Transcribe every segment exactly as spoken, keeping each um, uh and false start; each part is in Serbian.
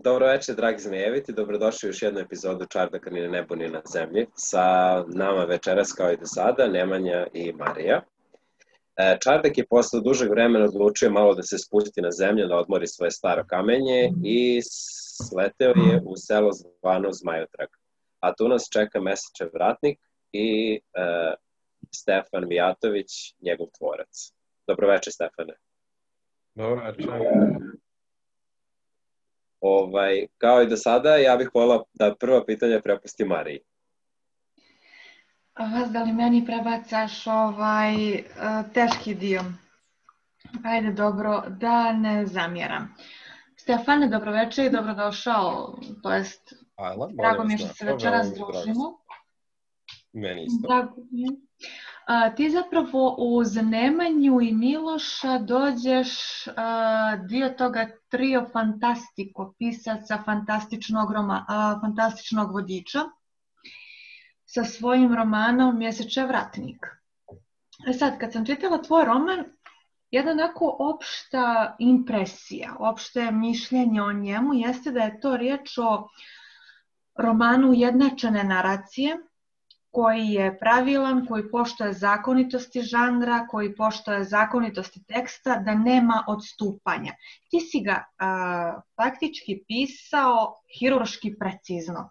Dobro večer, dragi zmejeviti, dobrodošli u još jednu epizodu Čardaka ni na nebu ni na zemlji. Sa nama večeras kao i do sada, Nemanja i Marija. Čardak je posle dužeg vremena odlučio malo da se spusti na zemlju, da odmori svoje staro kamenje i sleteo je u selo zvano Zmajotrag. A tu nas čeka Mesečev vratnik i e, Stefan Mijatović, njegov tvorac. Dobro večer, Stefane. Dobro večer. Ovaj, kao i do sada, ja bih volila da prvo pitanje prepustim Mariji. Vas da li meni prebacaš ovaj teški dio? Ajde, dobro, da ne zamjeram. Stefane, dobroveče i dobrodošao, to jest, Ajla, drago mi je što se večeras družimo. Meni isto. Drago mi je. A, ti zapravo uz Nemanju i Miloša dođeš a, dio toga trio fantastiko, pisaca fantastičnog, roma, a, fantastičnog vodiča sa svojim romanom Mesečev vratnik. E sad, kad sam čitala tvoj roman, jedna onako opšta impresija, opšte mišljenje o njemu jeste da je to riječ o romanu ujednačene naracije, koji je pravilan, koji poštuje zakonitosti žanra, koji poštuje zakonitosti teksta, da nema odstupanja. Ti si ga a, faktički pisao hirurški precizno.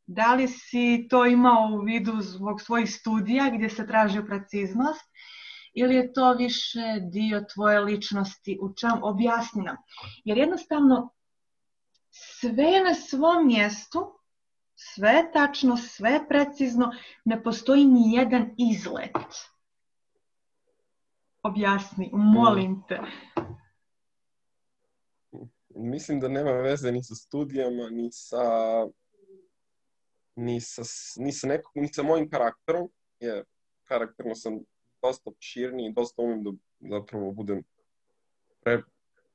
Da li si to imao u vidu zbog svojih studija gdje se traži preciznost ili je to više dio tvoje ličnosti? U čem? Objasni nam. Jer jednostavno sve je na svom mjestu, sve je tačno, sve je precizno, ne postoji ni jedan izlet. Objasni, molim te. Mislim da nema veze ni sa studijama, ni sa, ni sa, ni sa, nekog, ni sa mojim karakterom, jer karakterno sam dosta širniji i dosta umim da zapravo budem pre,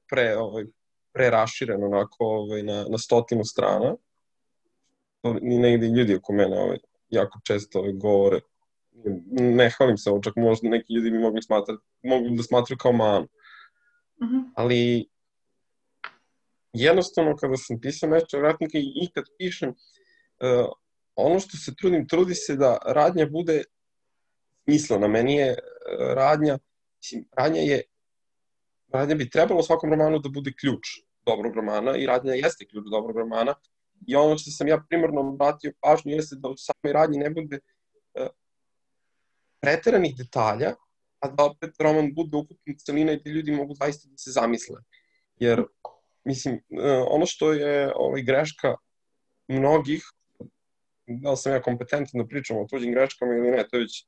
pre, ovaj, preraširen onako ovaj, na, na stotinu strana. Ni negdje ljudi oko mene ovaj, jako često ovaj, govore. Ne hvalim se ovo, čak možda neki ljudi bi mogli, smatrati, mogli da smatraju kao manu. Uh-huh. Ali jednostavno kada sam pisao Mesečev vratnik i kad pišem, uh, ono što se trudim, trudi se da radnja bude smislena. Meni je uh, radnja, radnja je, radnja bi trebalo u svakom romanu da bude ključ dobrog romana i radnja jeste ključ dobrog romana. I ono što sam ja primarno obratio pažnju jeste da u samoj radnji ne bude uh, preteranih detalja, a da opet roman bude ukupna celina i da ljudi mogu zaista da se zamisle. Jer, mislim, uh, ono što je ovaj, greška mnogih, da li sam ja kompetentan da pričam o tuđim greškama ili ne, to je već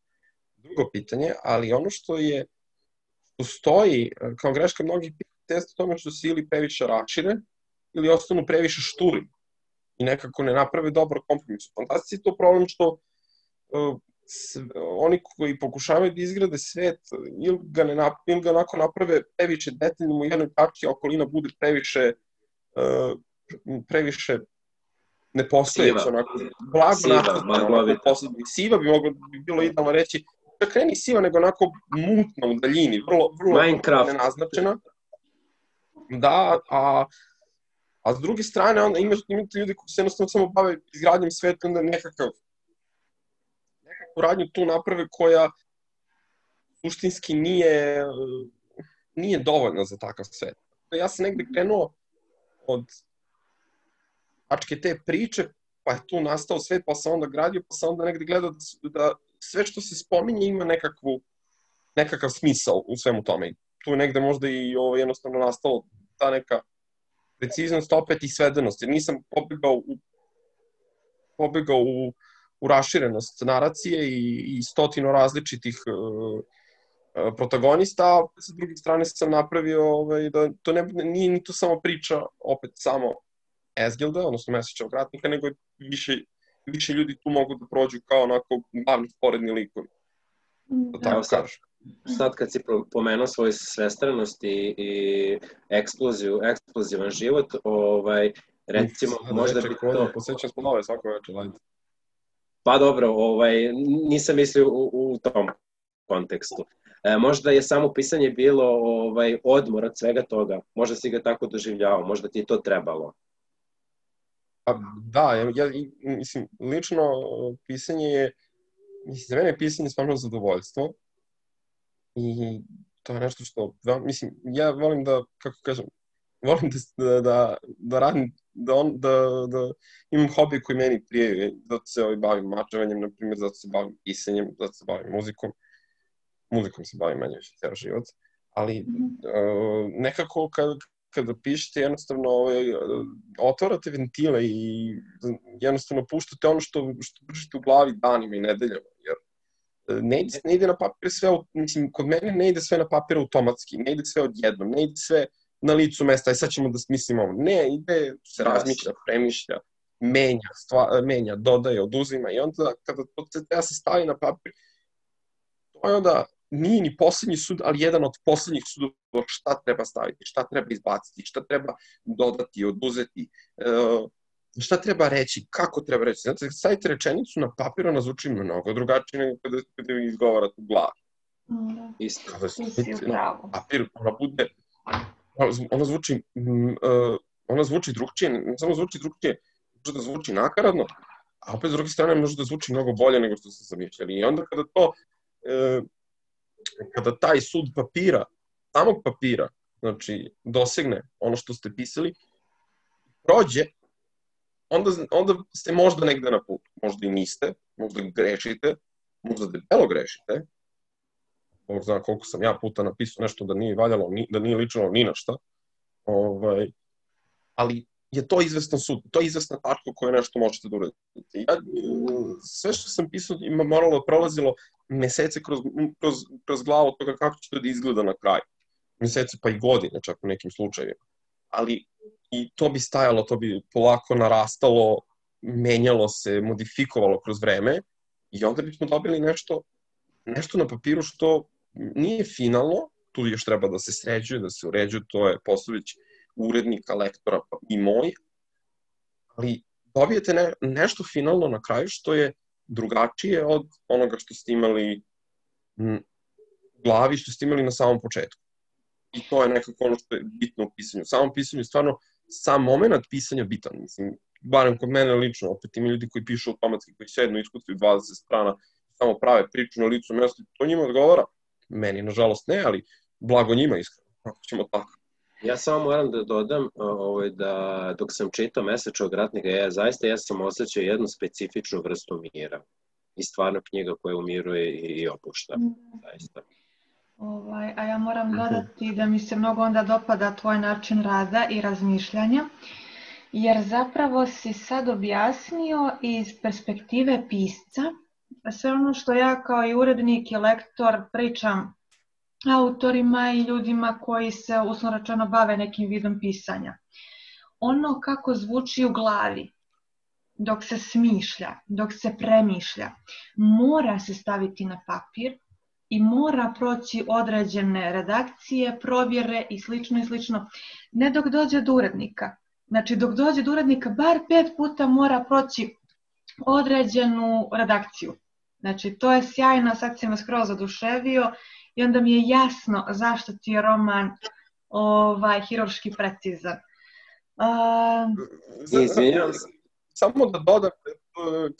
drugo pitanje, ali ono što je, što stoji kao greška mnogih jeste tome što se ili previše rašire, ili ostanu previše šturi i nekako ne naprave dobar kompromis. U fantastiki je to problem što uh, s, oni koji pokušavaju da izgrade svet ili ga, ne nap, ili ga onako naprave previše detaljno u jednoj tački, a okolina bude previše uh, previše nepostojeće, onako blago nastavljeno, siva bi moglo bi bilo idealno reći, čak ne ni siva, nego onako mutna u daljini, vrlo, vrlo nenaznačena. Da, a A s druge strane, onda imate, imate ljudi koji se jednostavno samo bave izgradnjom sveta, onda nekakav, nekakvu radnju tu naprave koja suštinski nije, nije dovoljna za takav svet. Ja sam negde krenuo od tačke te priče, pa je tu nastao svet, pa sam onda gradio, pa sam onda negde gledao da, da sve što se spominje ima nekakvu, nekakav smisao u svemu tome. Tu je negde možda i ovo jednostavno nastalo ta neka preciznost opet i svedenost, jer nisam pobegao u, pobegao u, u raširenost naracije i, i stotino različitih uh, protagonista, a sa druge strane sam napravio ovaj, da to ne, nije ni to samo priča opet samo Esgilda, odnosno Mesečevog vratnika, nego više, više ljudi tu mogu da prođu kao onako glavni sporedni likovi. Da tako kažem. Sad kad si pomenuo svoju svestranost i, i eksploziju, eksplozivan život, ovaj, recimo, Sada možda bi to... Posjećam smo nove svako večer, lajde. Pa dobro, ovaj, nisam mislio u, u tom kontekstu. E, možda je samo pisanje bilo ovaj, odmor od svega toga. Možda si ga tako doživljavao, možda ti je to trebalo. Pa da, ja, ja mislim, lično pisanje je, mislim, za mene je pisanje stvarno zadovoljstvo i to je nešto što, da, mislim, ja volim da, kako kažem, volim da, da, da radim, da, on, da, da imam hobi koji meni prije, zato se ovaj, bavim mačevanjem, na primjer, zato se bavim pisanjem, zato se bavim muzikom, muzikom se bavim manje više ceo život, ali uh, nekako kad, kada pišete, jednostavno ovaj, otvarate ventile i jednostavno puštate ono što, što držite u glavi danima i nedeljama, jer ne ide, ne ide na papir sve, mislim, kod mene ne ide sve na papir automatski, ne ide sve odjednom, ne ide sve na licu mesta, aj sad ćemo da smislimo ovo. Ne, ide, se razmišlja, premišlja, menja, stva, menja, dodaje, oduzima i onda kada to treba se stavi na papir, to je onda nije ni poslednji sud, ali jedan od poslednjih sudova šta treba staviti, šta treba izbaciti, šta treba dodati, oduzeti, šta treba reći, kako treba reći. Znate, stavite rečenicu na papir, ona zvuči mnogo drugačije nego kada, kada vi izgovarate u glavi. Da. Isto. Kada stavite na papir, ona bude, ona zvuči, ona zvuči drugčije, ne samo zvuči drugčije, može da zvuči nakaradno, a opet s druge strane može da zvuči mnogo bolje nego što ste zamišljali. I onda kada to, kada taj sud papira, samog papira, znači dosegne ono što ste pisali, prođe, onda, onda ste možda negde na putu. Možda i niste, možda grešite, možda debelo grešite. Bog zna koliko sam ja puta napisao nešto da nije valjalo, da nije ličilo ni na šta. Ovaj, ali je to izvestan sud, to je izvesna tačka koju nešto možete da uradite. Ja, sve što sam pisao ima moralo prolazilo mesece kroz, kroz, kroz glavu toga kako će to da izgleda na kraju. Mesece pa i godine čak u nekim slučajevima. Ali i to bi stajalo, to bi polako narastalo, menjalo se, modifikovalo kroz vreme i onda bismo dobili nešto, nešto na papiru što nije finalno, tu još treba da se sređuje, da se uređuje, to je poslović urednika, lektora i moj, ali dobijete ne, nešto finalno na kraju što je drugačije od onoga što ste imali u glavi, što ste imali na samom početku. I to je nekako ono što je bitno u pisanju. U samom pisanju je stvarno sam moment pisanja bitan. Mislim, barem kod mene lično, opet ima ljudi koji pišu automatski, koji sednu, iskucaju dvadeset strana, samo prave priču na licu mesta, to njima odgovara. Meni, nažalost, ne, ali blago njima iskreno, ako ćemo tako. Ja samo moram da dodam ovaj, da dok sam čitao Mesečnog ratnika, ja zaista ja sam osjećao jednu specifičnu vrstu mira. I stvarno knjiga koja umiruje i, i opušta. Zaista. Ovaj, a ja moram dodati da mi se mnogo onda dopada tvoj način rada i razmišljanja, jer zapravo si sad objasnio iz perspektive pisca sve ono što ja kao i urednik i lektor pričam autorima i ljudima koji se uslovno rečeno bave nekim vidom pisanja. Ono kako zvuči u glavi, dok se smišlja, dok se premišlja, mora se staviti na papir i mora proći određene redakcije, provjere i slično i slično. Ne dok dođe do urednika. Znači dok dođe do urednika bar pet puta mora proći određenu redakciju. Znači to je sjajno, sad si me skroz oduševio i onda mi je jasno zašto ti je roman ovaj, hirurški precizan. Uh... Izvinjam se. Samo da dodam,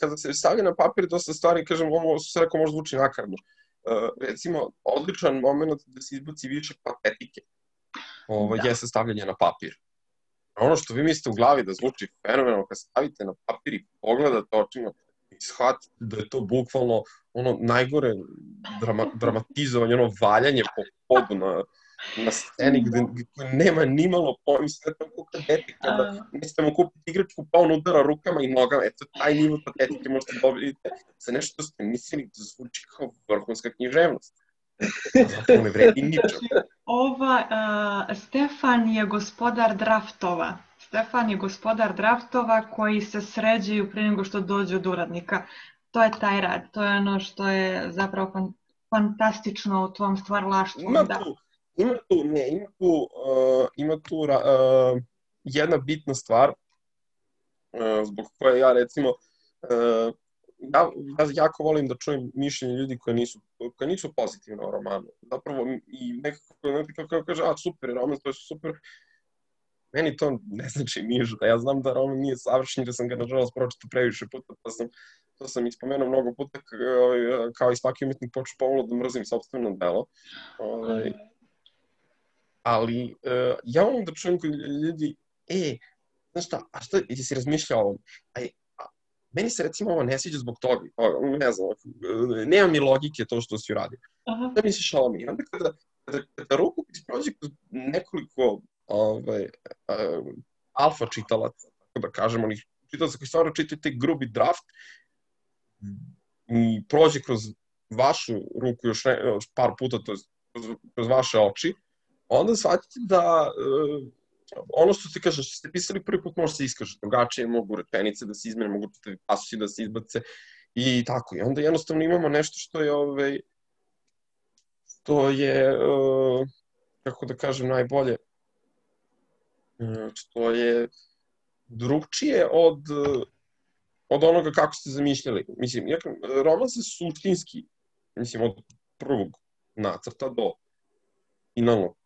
kada se stavlja na papir dosta stvari, kažem, ovo se rekao možda zvuči nakaradno. Uh, recimo, odličan moment da se izbaci više patetike ovo, da. je stavljanje na papir. Ono što vi mislite u glavi da zvuči fenomenalno, kad stavite na papir i pogledate očima i shvatite da je to bukvalno ono najgore drama, dramatizovanje, ono valjanje po podu na, na sceni gde, gde nema nimalo pojma, sve tako patetike, kada nećete mu kupiti igračku pa on udara rukama i nogama, eto taj nivo patetike možete dobiti za nešto što ste mislili da zvuči kao vrhunska književnost. Zapravo ne vredi ničem. Ova, uh, Stefan je gospodar draftova. Stefan je gospodar draftova koji se sređuju prije nego što dođu do uradnika. To je taj rad, to je ono što je zapravo fan, fantastično u tvom stvaralaštvu. Ima da. tu, ima tu, ne, ima tu, uh, ima tu uh, jedna bitna stvar uh, zbog koje ja recimo uh, ja, ja jako volim da čujem mišljenje ljudi koji nisu, koji nisu pozitivni o romanu. Zapravo i nekako, nekako kaže, a super, roman, to je super. meni to ne znači ništa. Ja znam da roman nije savršen, da sam ga nažalost pročitao previše puta, pa sam, to sam ispomenuo mnogo puta, kao i svaki umetnik počeo pomalo da mrzim sopstveno delo. Ovaj, ali ja volim da čujem kod ljudi, e, znaš šta, a šta, jesi razmišljao o ovom? Aj, meni se recimo ovo ne sviđa zbog toga, ne znam, nema mi logike to što si uradio. Šta misliš o ovom? I onda kada, kada, kada rukopis prođe kroz nekoliko ovaj, uh, alfa čitalaca, tako da kažem, onih čitalaca koji stvarno čitaju taj grubi draft i prođe kroz vašu ruku još, ne, još par puta, to je kroz, kroz vaše oči, onda shvatite da uh, ono što se kaže, što ste pisali prvi put može se iskaže drugačije, mogu rečenice da se izmene, mogu pasusi da se izbace i tako. I onda jednostavno imamo nešto što je, ovaj, što je, uh, kako da kažem, najbolje, uh, što je drugčije od, od onoga kako ste zamišljali. Mislim, roman se suštinski, mislim, od prvog nacrta do finalnog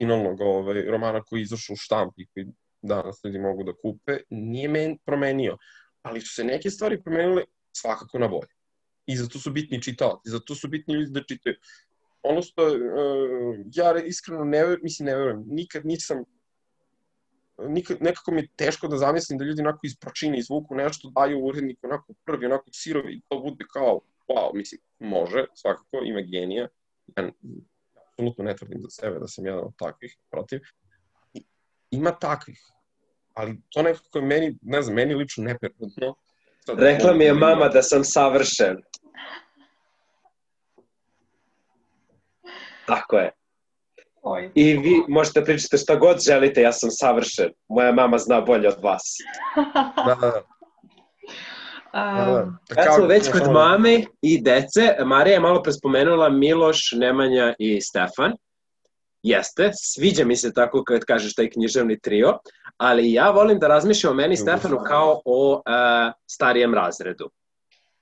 finalnog ovaj, romana koji je izašao u štampi, koji danas ljudi mogu da kupe, nije men promenio. Ali su se neke stvari promenile svakako na bolje. I zato su bitni čitaoci, zato su bitni ljudi da čitaju. Ono što uh, ja iskreno ne verujem, mislim ne verujem, nikad nisam, nikad, nekako mi je teško da zamislim da ljudi onako iz pračine izvuku nešto, daju uredniku onako prvi, onako sirovi i to bude kao, wow, mislim, može, svakako, ima genija. Ja apsolutno ne tvrdim za sebe da sam jedan od takvih, protiv. I, ima takvih, ali to nekako je meni, ne znam, meni lično neprirodno. Rekla mi je mama da sam savršen. Tako je. Oj. I vi možete pričati šta god želite, ja sam savršen. Moja mama zna bolje od vas. Da, da, da. Um, Kad smo već kod mame i dece, Marija je malo pre spomenula Miloš, Nemanja i Stefan. Jeste, sviđa mi se tako kad kažeš taj književni trio, ali ja volim da razmišljam o meni i Stefanu kao o uh, starijem razredu.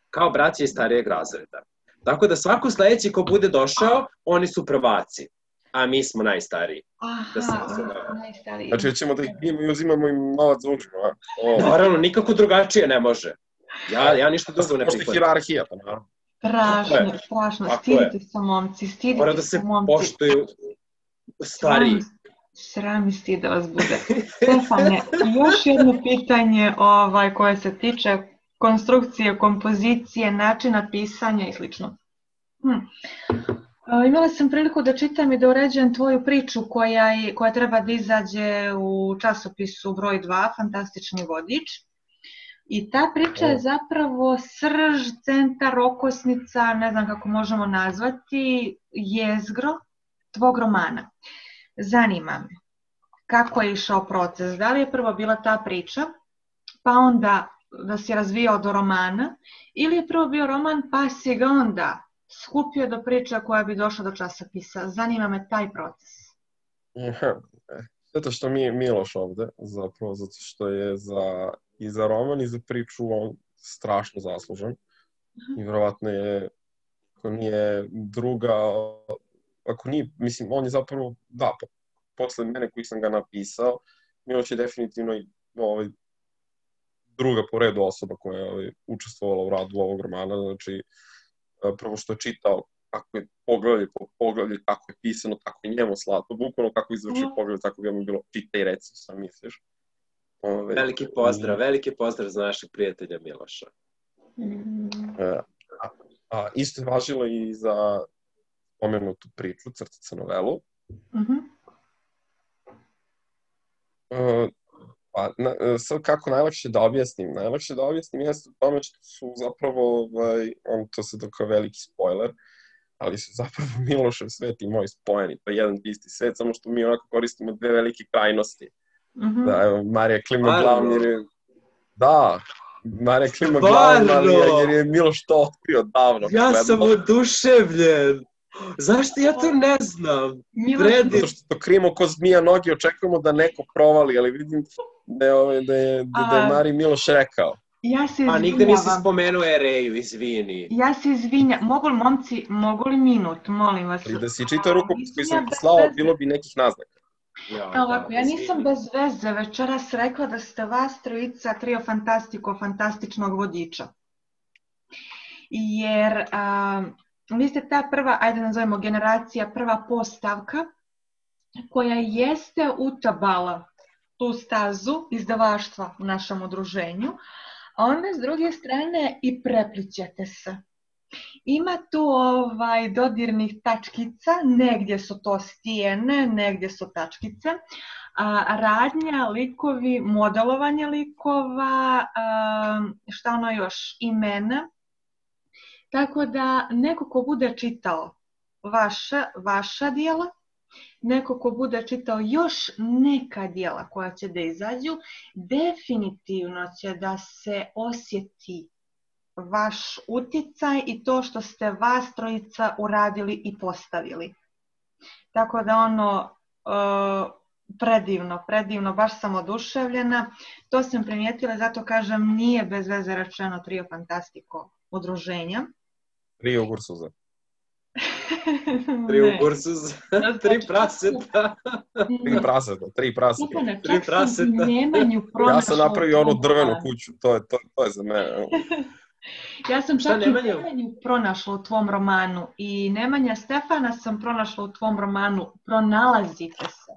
Kao braći iz starijeg razreda. Tako da svako sledeći ko bude došao, oni su prvaci, a mi smo najstariji. Aha, da najstariji. Znači ćemo da ih bijemo i uzimamo im novac za učinu, a? Oh. Naravno, nikako drugačije ne može. Ja, ja ništa drugo ne prihvatim. Pošto je hirarhija, pa naravno. Strašno, strašno. Stidite se, momci, stidite se, momci. Mora da se poštuju stariji. Sram i stid da vas bude. Stefane, još jedno pitanje ovaj, koje se tiče konstrukcije, kompozicije, načina pisanja i slično. Hm. Imala sam priliku da čitam i da uređujem tvoju priču koja, je, koja treba da izađe u časopisu broj dva, Fantastični vodič. I ta priča je zapravo srž, centar, okosnica, ne znam kako možemo nazvati, jezgro tvog romana. Zanima me kako je išao proces, da li je prvo bila ta priča, pa onda da si razvijao do romana, ili je prvo bio roman pa si ga onda skupio do priča koja bi došla do časopisa. Zanima me taj proces. Zato što mi je Miloš ovde, zapravo zato što je za, i za roman i za priču on strašno zaslužan. Uh-huh. I vjerovatno je, ako nije druga, ako nije, mislim, on je zapravo, da, po, posle mene koji sam ga napisao, Miloš je definitivno i ovaj, druga po redu osoba koja je ovaj, učestvovala u radu ovog romana, znači prvo što je čitao kako je poglavlje po poglavlje, kako je pisano, tako je njemu slatko, bukvalno kako izvršio poglavlje, tako bi mu bilo čita i reci, sam misliš. Ove, veliki pozdrav, i... veliki pozdrav za našeg prijatelja Miloša. A, a isto je važilo i za pomenutu priču, crtica novelu. Uh-huh. Uh, pa, na, sad kako najlakše da objasnim? Najlakše da objasnim jeste u tome što su zapravo, ovaj, on, to se kao veliki spoiler, ali su zapravo Milošev svet i moj spojeni. To je jedan isti svet, samo što mi onako koristimo dve velike krajnosti. Mm-hmm. Da, evo, Marija klima glavom jer je... Da, Marija klima glavom, ali jer je Miloš to otkrio davno. Ja sam oduševljen. Zašto ja to ne znam? Predim. Zato što to krimo ko zmija noge, očekujemo da neko provali, ali vidim da je, da je, da, da je Mariji Miloš rekao. Ja se izvinjavam. A nigde nisi spomenuo Ereju, izvini. Ja se izvinjam. Mogu li, momci, mogu li minut, molim vas? I da si čitao rukopis koji sam poslao, bilo bi nekih naznaka. Ja, Evo ovako, da, ja nisam izvini. bez veze večeras rekla da ste vas trojica trio Fantastico, fantastičnog vodiča. Jer a, vi ste ta prva, ajde nazovemo generacija, prva postavka koja jeste utabala tu stazu izdavaštva u našem udruženju, a onda s druge strane i preplićete se. Ima tu ovaj dodirnih tačkica, negdje su to stijene, negdje su tačkice, a, radnja, likovi, modelovanje likova, a, šta ono još, imena. Tako da neko ko bude čitao vaša, vaša dijela, neko ko bude čitao još neka dijela koja će da izađu, definitivno će da se osjeti vaš utjecaj i to što ste vas trojica uradili i postavili. Tako da ono, uh, predivno, predivno, baš sam oduševljena. To sam primijetila, zato kažem, nije bez veze rečeno trio Fantastico udruženja. Trio Gursuza. Tri Ursuz, tri praseta. Tri praseta, tri praseta. Stefane, Tri čak sam u praseta. Nemanju pronašla... Ja sam napravio onu tvog drvenu romana. kuću, to je, to, to je za mene. Ja sam Šta, čak i Nemanju? Nemanju pronašla u tvom romanu i Nemanja Stefana sam pronašla u tvom romanu. Pronalazite se.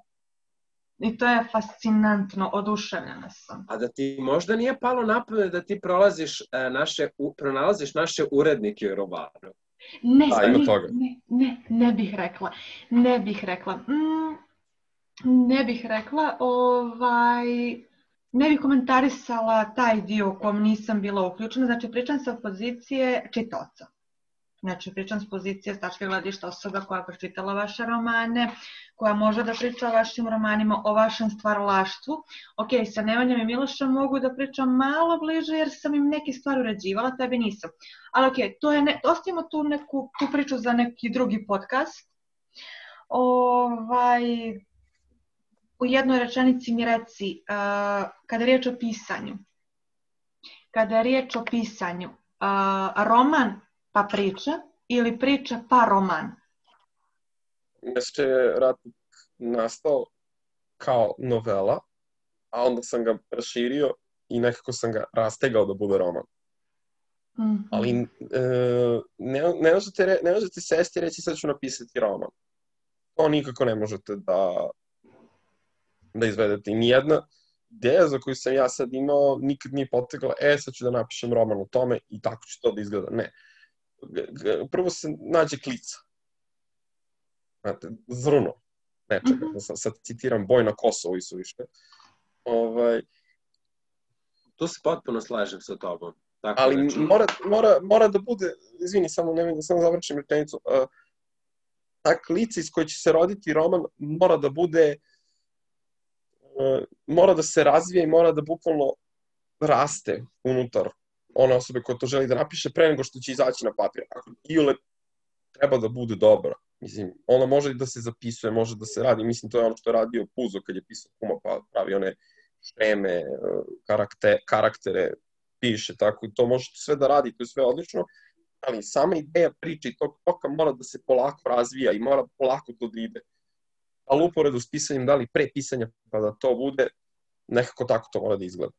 I to je fascinantno, oduševljena sam. A da ti možda nije palo na pamet da ti prolaziš e, naše, u, pronalaziš naše urednike u romanu? Ne, Da, ima ne, toga. ne, ne, ne bih rekla. Ne bih rekla. Mm, ne bih rekla. Ovaj, ne bih komentarisala taj dio u kom nisam bila uključena. Znači, pričam sa pozicije čitaoca. Znači, pričam s pozicije s tačke gledišta osoba koja je pročitala vaše romane, koja može da priča o vašim romanima, o vašem stvaralaštvu. Ok, sa Nemanjom i Milošem mogu da pričam malo bliže jer sam im neke stvari uređivala, tebi nisam. Ali ok, to je ne, ostavimo tu, neku, tu priču za neki drugi podcast. Ovaj, u jednoj rečenici mi reci, uh, kada je riječ o pisanju, kada je riječ o pisanju, uh, roman pa priča ili priča pa roman? Nešto je Ratnik nastao kao novela, a onda sam ga raširio i nekako sam ga rastegao da bude roman. Mm-hmm. Ali e, ne, ne, možete re, ne možete sesti i reći sad ću napisati roman. To nikako ne možete da, da izvedete. I nijedna ideja za koju sam ja sad imao nikad nije potegla, e sad ću da napišem roman o tome i tako će to da izgleda. Ne. Prvo se nađe klica. Znate, zrno nečega. Mm-hmm. Sad, sad citiram Boj na Kosovu i suviše. Ovaj, Tu se potpuno slažem sa tobom. Tako ali znači... mora, mora, mora da bude, izvini, samo, ne, samo završim rečenicu, uh, ta klica iz koje će se roditi roman mora da bude, uh, mora da se razvije i mora da bukvalno raste unutar one osobe koja to želi da napiše pre nego što će izaći na papir. Ako iole treba da bude dobra. Mislim, ona može da se zapisuje, može da se radi. Mislim, to je ono što je radio Puzo kad je pisao Kuma, pa pravi one šeme, karakter, karaktere, piše, tako. To možete sve da radi, to je sve odlično, ali sama ideja priče i tog toka mora da se polako razvija i mora polako to da ide. Ali uporedu s pisanjem, da li pre pisanja, pa da to bude, nekako tako to mora da izgleda.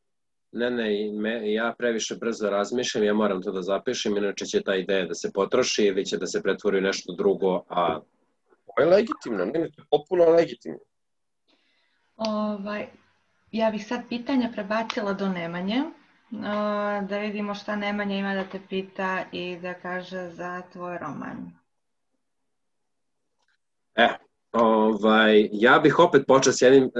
Ne, ne, me, ja previše brzo razmišljam, ja moram to da zapišem, inače će ta ideja da se potroši ili će da se pretvori u nešto drugo, a... To je legitimno, ne, ne, to je potpuno legitimno. Ovaj, ja bih sad pitanja prebacila do Nemanje, da vidimo šta Nemanja ima da te pita i da kaže za tvoj roman. E, ovaj, ja bih opet počeo s jednim,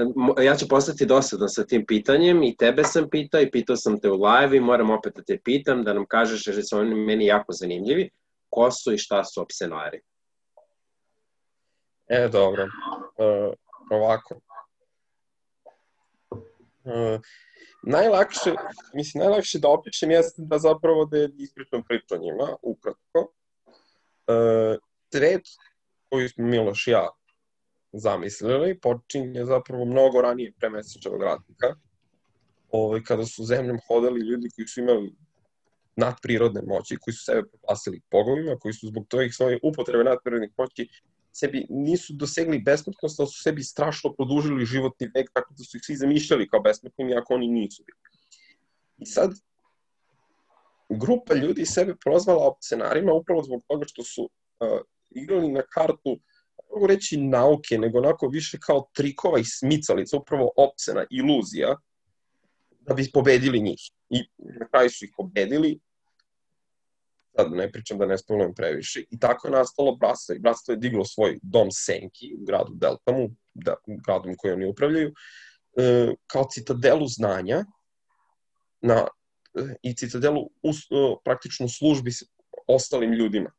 ja ću postati dosadan sa tim pitanjem i tebe sam pitao i pitao sam te u live i moram opet da te pitam da nam kažeš, jer su oni meni jako zanimljivi, ko su i šta su opsenari. E, dobro. Uh, ovako. Uh, najlakše, mislim, najlakše da opišem jeste da zapravo da ispričam priču o njima, ukratko. Uh, Svet koji smo Miloš i ja zamislili počinje zapravo mnogo ranije pre Mesečevog ratnika, ovaj, kada su zemljom hodali ljudi koji su imali nadprirodne moći, koji su sebe proglasili bogovima, koji su zbog tojih svoje upotrebe nadprirodnih moći sebi nisu dosegli besmrtnost, ali su sebi strašno produžili životni vek, tako da su ih svi zamišljali kao besmrtnim, iako oni nisu bili. I sad, grupa ljudi sebe prozvala opcionarima upravo zbog toga što su uh, igrali na kartu, mogu reći nauke, nego onako više kao trikova i smicalica, upravo opsena, iluzija, da bi pobedili njih. I na kraju su ih pobedili, sad ne pričam da ne spomenu previše, i tako je nastalo bratstvo. I bratstvo je diglo svoj dom Senki u gradu Deltamu, da, gradom koji oni upravljaju, uh, kao citadelu znanja, na i citadelu u praktično službi s ostalim ljudima,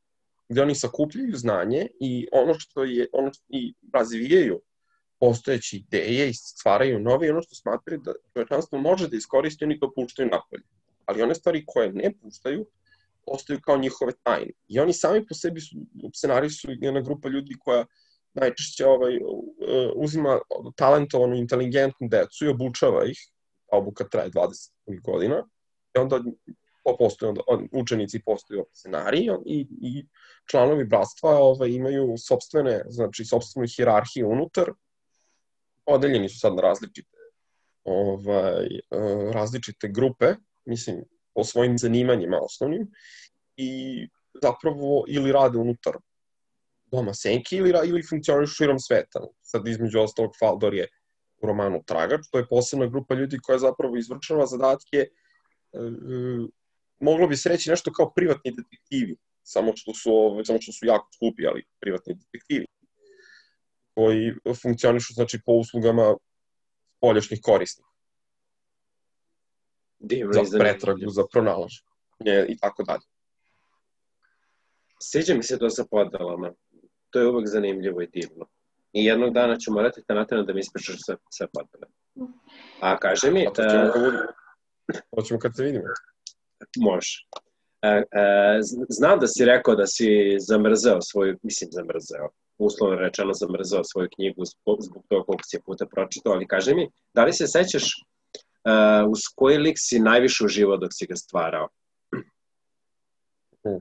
gde oni sakupljaju znanje i ono što je, ono i razvijaju postojeće ideje i stvaraju nove, i ono što smatraju da čovečanstvo može da iskoristi, oni to puštaju napolje. Ali one stvari koje ne puštaju, ostaju kao njihove tajne. I oni sami po sebi su, scenariji su jedna grupa ljudi koja najčešće ovaj, uzima talentovanu, inteligentnu decu i obučava ih, a obuka traje dvadeset godina, i onda postoje, onda, učenici postaju scenariji i, i članovi bratstva ovaj, imaju sopstvene, znači sopstvenu hijerarhiju unutar, podeljeni su sad na različite, ovaj, različite grupe, mislim, po svojim zanimanjima osnovnim, i zapravo ili rade unutar doma Senki ili, ili funkcionišu širom sveta. Sad između ostalog Faldor je u romanu Tragač, to je posebna grupa ljudi koja zapravo izvršava zadatke, Uh, moglo bi se reći nešto kao privatni detektivi, samo što su, samo što su jako skupi, ali privatni detektivi, koji funkcionišu, znači, po uslugama spoljašnjih korisnika. Divno, za pretragu, za pronalaženje i tako dalje. Sviđa mi se to sa podelama. To je uvek zanimljivo i divno. I jednog dana ću morati te natreno da mi ispričaš sve, sve podele. A kaže mi... Hoćemo kad se vidimo. Može. E, e, znam da si rekao da si zamrzeo svoju, mislim zamrzeo, uslovno rečeno zamrzeo svoju knjigu zbog, zbog toga koliko si je puta pročitao, ali kaži mi, da li se sećaš uh, uz koji lik si najviše uživao dok si ga stvarao? Hmm.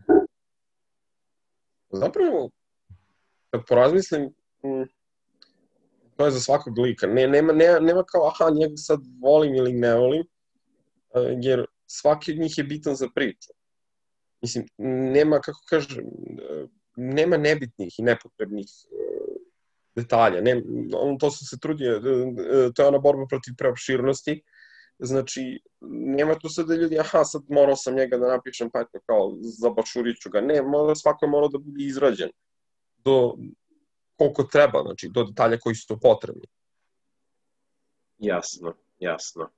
Zapravo, kad porazmislim, mm, to je za svakog lika. Ne, nema, nema, nema kao, aha, njega sad volim ili ne volim, jer svaki od njih je bitan za priču. Mislim, nema, kako kažem, nema nebitnih i nepotrebnih detalja. Ne, on, to se se trudi, to je ona borba protiv preopširnosti. Znači, nema tu sad da ljudi, aha, sad morao sam njega da napišem, pa eto, kao, zabašurit ću ga. Ne, mora, svako je morao da bude izrađen do koliko treba, znači, do detalja koji su potrebni. Jasno, jasno.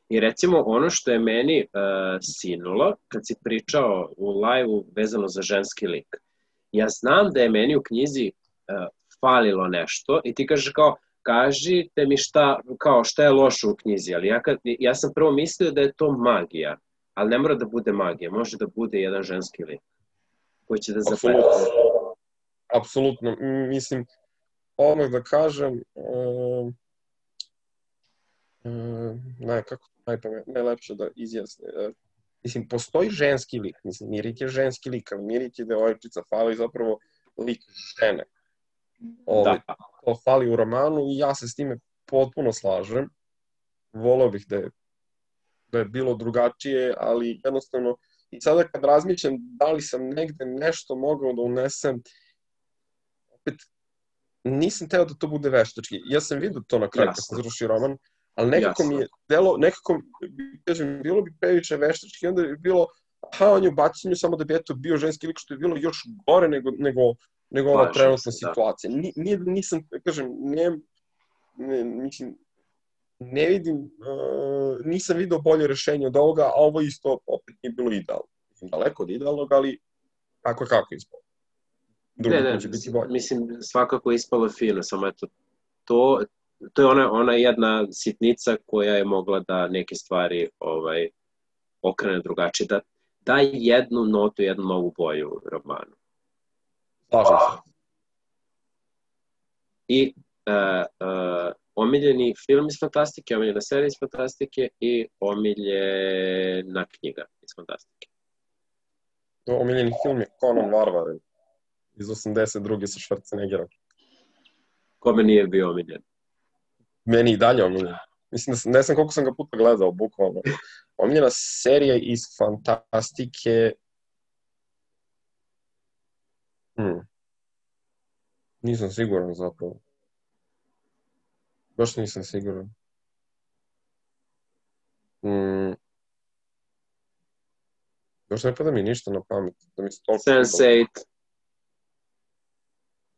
I recimo ono što je meni uh, sinulo, kad si pričao u live-u vezano za ženski lik, ja znam da je meni u knjizi uh, falilo nešto i ti kažeš kao, kažite mi šta, kao šta je loše u knjizi, ali ja, kad, ja sam prvo mislio da je to magija, ali ne mora da bude magija, može da bude jedan ženski lik koji će da zapleti. Apsolutno, mislim, odmah da kažem, um, um, ne, kako najpamet, najlepše da izjasne. Uh, mislim, postoji ženski lik, mislim, Mirit je ženski lik, ali Mirit je devojčica, fali zapravo lik žene. Ovi, da. To fali u romanu i ja se s time potpuno slažem. Voleo bih da je, da je bilo drugačije, ali jednostavno, i sada kad razmišljam da li sam negde nešto mogao da unesem, opet, nisam teo da to bude veštački. Ja sam vidio to na kraju kad sam završio roman, ali nekako Jasno. mi je delo, nekako, kažem, bilo bi previše veštački, onda bi bilo, aha, on je u bacanju samo da bi eto bio ženski lik, što je bilo još gore nego, nego, nego ova trenutna situacija. Ni, nisam, kažem, ne, ne, mislim, ne vidim, uh, nisam vidio bolje rešenje od ovoga, a ovo isto opet nije bilo idealno. Daleko od idealnog, ali kako kako ispalo. Ne, ne, mislim, svakako ispalo fino, samo eto, to, to je ona, ona jedna sitnica koja je mogla da neke stvari ovaj, okrene drugačije, da da jednu notu, jednu novu boju u romanu. Slažem se. I uh, uh, omiljeni film iz fantastike, omiljena serija iz fantastike i omiljena knjiga iz fantastike. Omiljeni film je Conan Varvar iz osamdeset druge sa Schwarzeneggerom. Kome nije bio omiljen? Meni i dalje omiljen. Mislim da sam, ne znam koliko sam ga puta gledao, bukvalno. Omiljena serija iz fantastike... Hmm. Nisam siguran zapravo. Baš nisam siguran. Hmm. Još ne pada mi ništa na pamet. Da mi se toliko sense eight.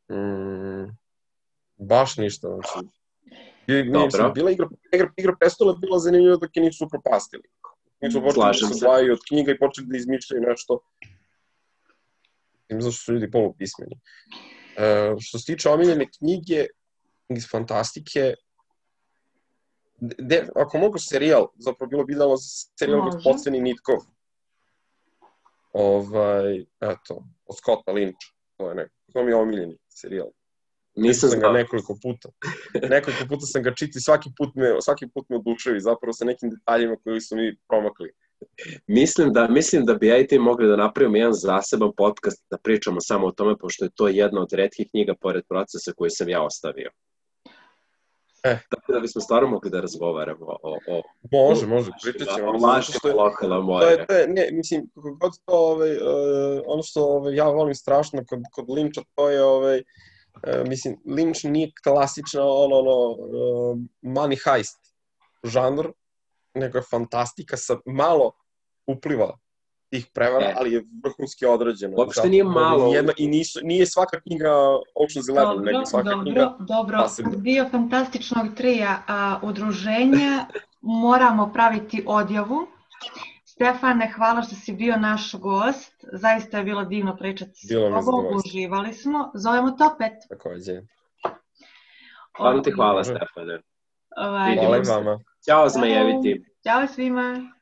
Hmm. Baš ništa, znači. I, Dobro. mislim, bila igra, igra, igra prestola je bila zanimljiva dok je nisu propastili. Nisu počeli da se odvajaju od knjiga i počeli da izmišljaju nešto. Mislim, zašto su ljudi polupismeni. Uh, što se tiče omiljene knjige iz fantastike, de, ako mogu serijal, zapravo bilo bi dalo serijal Gospodstveni Nitkov. Ovaj, eto, od Scotta Lyncha. To je neko, to mi je omiljeni serijal. Nisam sam ga nekoliko puta. Nekoliko puta sam ga čitao i svaki put me, svaki put me oduševi zapravo sa nekim detaljima koji su mi promakli. Mislim da, mislim da bi ja i ti mogli da napravimo jedan zaseban podcast da pričamo samo o tome, pošto je to jedna od retkih knjiga pored Procesa koju sam ja ostavio. Eh. Tako da bismo stvarno mogli da razgovaramo o... o može, može, pričat ćemo. O lažima lokala Moire. To je, ne, mislim, kako god to, ovaj, uh, ono što ovaj, ja volim strašno kod, kod Lyncha, to je, ovaj, uh, mislim, Lynch nije klasično ono, ono, uh, money heist žanr, nego je fantastika sa malo upliva tih prevara, e. ali je vrhunski odrađeno. Uopšte nije malo. Jedna, I nisu, nije svaka knjiga Ocean's Eleven, dobro, nego svaka dobro, knjiga... Dobro, dobro. Bio fantastičnog trija a, udruženja, moramo praviti odjavu. Stefane, hvala što si bio naš gost. Zaista je bilo divno pričati s tobom, uživali smo. Zovemo te opet. Takođe. Hvala ti, hvala Stefane. Ovaj, hvala i vama. Ćao zmajeviti. Ćao svima.